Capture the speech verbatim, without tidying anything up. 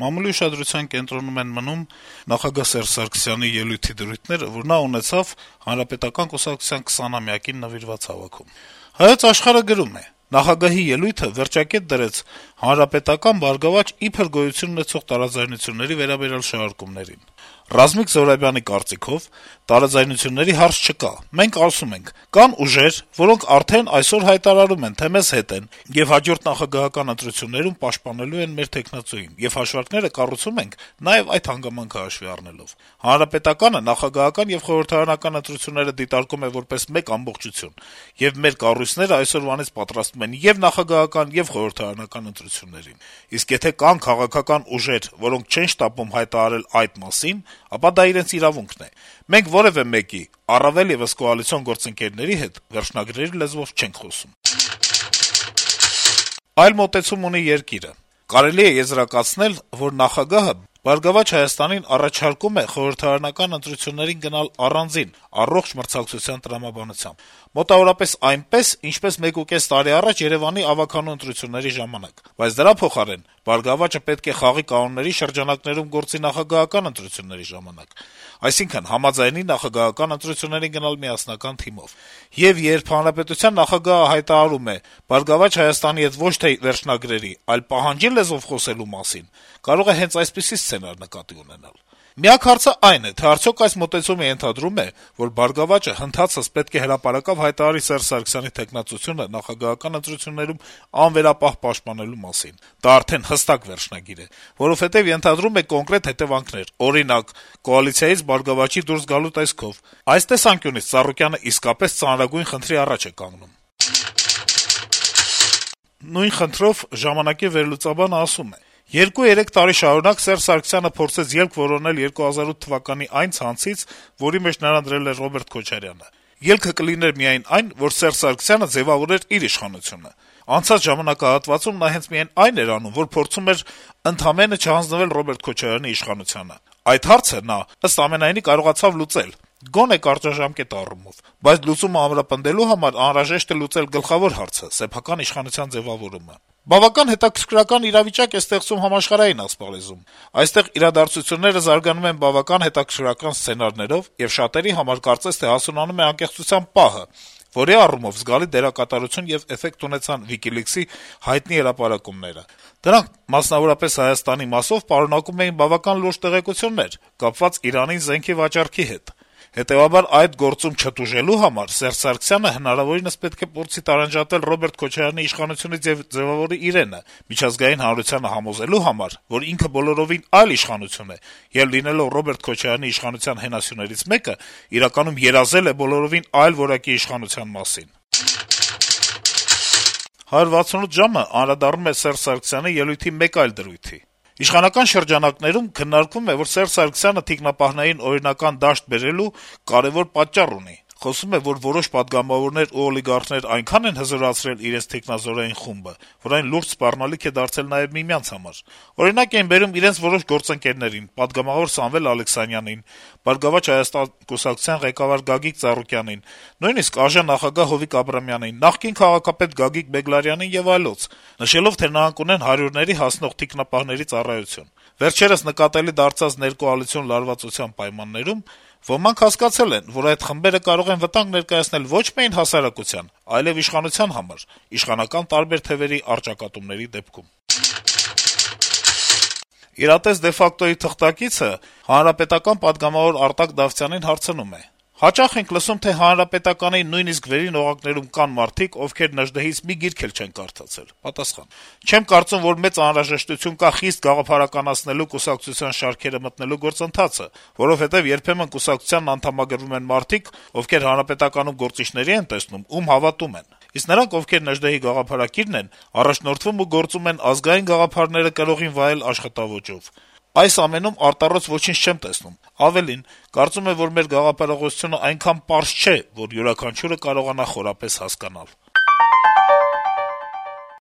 Մամուլի ուշադրության կենտրոնում են մնում նախագահ Սերժ Սարգսյանի ելույթի դրույթները, որ նա ունեցավ Հանրապետական կուսակցության քսանամյակին նվիրված հավաքում։ «Հայոց Աշխարհ»-ը գրում է. - «Նախագահի ելույթը վերջակետ դրեց հանրապետական «Բարգավաճ» իբր գոյություն ունեցող տարաձայնությունների վերաբերյալ շարժումներին։ Ռազմիկ Զոհրաբյանի կարծիքով տարաձայնությունների հարց չկա։ Մենք ասում ենք՝ կան ուժեր, որոնք արդեն այսօր հայտարարում են, թե մեզ հետ են եւ հաջորդ նախագահական ընտրություններում պաշտպանելու են մեր թեկնածուին, եւ հաշվարկները կառուցում ենք նաեւ այդ հանգամանքը հաշվի առնելով։ Հանրապետականը նախագահական եւ խորհրդարանական ընտրությունները դիտարկում է որպես մեկ ամբողջություն, եւ մեր կառույցները այսօրվանից պատրաստվում են եւ նախագահական, եւ խորհրդարանական ընտրություններին։ Իսկ եթե կան քաղաքական ուժեր, որոնք չեն շտապում հայտարարել այդ մասին, ապա դա իրենց իրավունքն է։ Մենք որեւէ մեկի, առավել եւս կոալիցիոն գործընկերների հետ վերջնագրերի լեզվով չենք խոսում»։ Այլ մոտեցում ունի «Երկիր»-ը. -«Կարելի է եզրակացնել, որ նախագահը «Բարգավաճ Հայաստանին» առաջարկում է խորհրդարանական ընտրություններին գնալ առանձին, առողջ մրցակցության տրամաբանությամբ, մոտավորապես այնպես, ինչպես մեկուկես տարի առաջ Երեւանի ավագանու ընտրությունների ժամանակ, բայց դրա փոխարեն «Բարգավաճը» պետք է խաղի կանոնների շրջանակներում գործի նախագահական ընտրությունների ժամանակ, այսինքն համաձայնի նախագահական ընտրություններին գնալ միասնական թիմով։ Եվ երբ հանրապետության նախագահը հայտարարում է «Բարգավաճ Հայաստանի» հետ ոչ թե վերջնագրերի, այլ պահանջի լեզվով խոսելու մասին, կարող է հենց այսպիսի սցենար նկատի ունենալ։ Միակ հարցը այն է, թե արդյոք այս մոտեցումը ենթադրում է, որ «Բարգավաճը» հնդհացս պետք է հրապարակավ հայտարարի Սերժ Սարգսյանի թեկնածությունը նախագահական ընտրություններում անվերապահ պաշտպանելու մասին։ Դա արդեն հստակ վերջնագիր է, որովհետեւ ենթադրում է կոնկրետ հետեւանքներ, օրինակ՝ կոալիցիայից «Բարգավաճի» դուրս գալու տեսքով։ Այս տեսանկյունից Ծառուկյանը իսկապես ծանրագույն խնդրի առաջ է կանգնում»։ Նույն խնդրով «Ժամանակ»-ի վերլուծաբանը ասում է. - «Երկու-երեք տարի շարունակ Սերժ Սարգսյանը փորձեց ելք որոնել երկու հազար ութ թվականի այն ցանցից, որի մեջ նրան դրել էր Ռոբերտ Քոչարյանը։ Ելքը կլիներ միայն այն, որ Սերժ Սարգսյանը ձեւավորեր իր իշխանությունը։ Անցած ժամանակահատվածում նա հենց միայն այն էր անում, որ փորձում էր ընդամենը չհանձնվել Ռոբերտ Քոչարյանի իշխանությանը։ Այդ հարցը նա, ըստ ամենայնի, կարողացավ լուծել, գոնե կարճաժամկետ առումով, բայց լուծումը ամրապնդելու համար անհրաժեշտ է լուծել գլխավոր հարցը՝ սեփական իշխանության ձեւավորումը։ Բավական հետաքրքրական իրավիճակ է ստեղծում համաշխարհային ասպարեզում։ Այստեղ իրադարձությունները զարգանում են բավական հետաքրքրական սցենարներով, եւ շատերի համար կարծես թե հասունանում է անկեղծության պահը, որի առումով զգալի դերակատարություն եւ էֆեկտ ունեցան WikiLeaks-ի հայտնի հրապարակումները։ Դրանք, մասնավորապես Հայաստանի մասով, պարունակում էին բավական լուրջ տեղեկություններ՝ կապված Իրանին զենքի վաճառքի հետ։ Հետեւաբար, այդ գործում չտուժելու համար Սերժ Սարգսյանը հնարավորինս պետք է փորձի տարանջատել Ռոբերտ Քոչարյանի իշխանությունից եւ ձեւավորի իրենը, միջազգային հանրությանը համոզելու համար, որ ինքը բոլորովին այլ իշխանություն է, եւ լինելով Ռոբերտ Քոչարյանի իշխանության հենասյուներից մեկը, իրականում երազել է բոլորովին այլ որակի իշխանության մասին»։ «հարյուր վաթսունութ ժամ»-ը անդրադառնում է Սերժ Սարգսյանի ելույթի մեկ այլ դրույթի. - «Իշխանական շրջանակներում քննարկվում է, որ Սերժ Սարգսյանը թիկնապահներին օրինական դաշտ բերելու կարեւոր պատճառ ունի։ Խոսվում է, որ որոշ պատգամավորներ ու օլիգարխներ այնքան են հզորացրել իրենց թիկնազորային խումբը, որ այն լուրջ սպառնալիք է դարձել նաեւ միմյանց համար։ Օրինակ են բերում իրենց որոշ գործընկերներին՝ պատգամավոր Սամվել Ալեքսանյանին, «Բարգավաճ Հայաստան» կուսակցության ղեկավար Գագիկ Ծառուկյանին, նույնիսկ ԱԺ նախագահ Հովիկ Աբրամյանին, նախկին քաղաքապետ Գագիկ Բեգլարյանին եւ այլոց, նշելով, թե նրանք ունեն հարյուրների հասնող թիկնապահների ծառայություն։ Վերջերս նկատելի դարձած ներկոալիցիոն լարվածության պայմաններում ոմանք հասկացել են, որ այդ խմբերը կարող են վտանգ ներկայացնել ոչ միայն հասարակության, այլեւ իշխանության համար՝ իշխանական տարբեր թեւերի առճակատումների դեպքում»։ «Իրատես de facto-ի» թղթակիցը հանրապետական պատգամավոր Արտակ Դավթյանին հարցնում է. - «Հաճախ ենք լսում, թե Հանրապետականի նույնիսկ վերին օղակներում կան մարդիկ, ովքեր Նժդեհից մի գիրք էլ չեն կարդացել»։ Պատասխան. - «Չեմ կարծում, որ մեծ անհրաժեշտություն կա խիստ գաղափարականացնելու կուսակցության շարքերը մտնելու գործընթացը, որովհետեւ երբեմն կուսակցությանն անդամագրվում են մարդիկ, ովքեր Հանրապետականում գործիչների են տեսնում, ում հավատում են։ Իսկ նրանք, ովքեր Նժդեհի գաղափարակիրն են, առաջնորդվում ու գործում են ազգային գաղափարները կրողին վայել աշխատաոճով։ Այս ամենում արտառոց ոչինչ չեմ տեսնում։ Ավելին, կարծում եմ, որ մեր գաղափարախոսությունը այնքան պարզ չէ, որ յուրաքանչյուրը կարողանա խորապես հասկանալ»։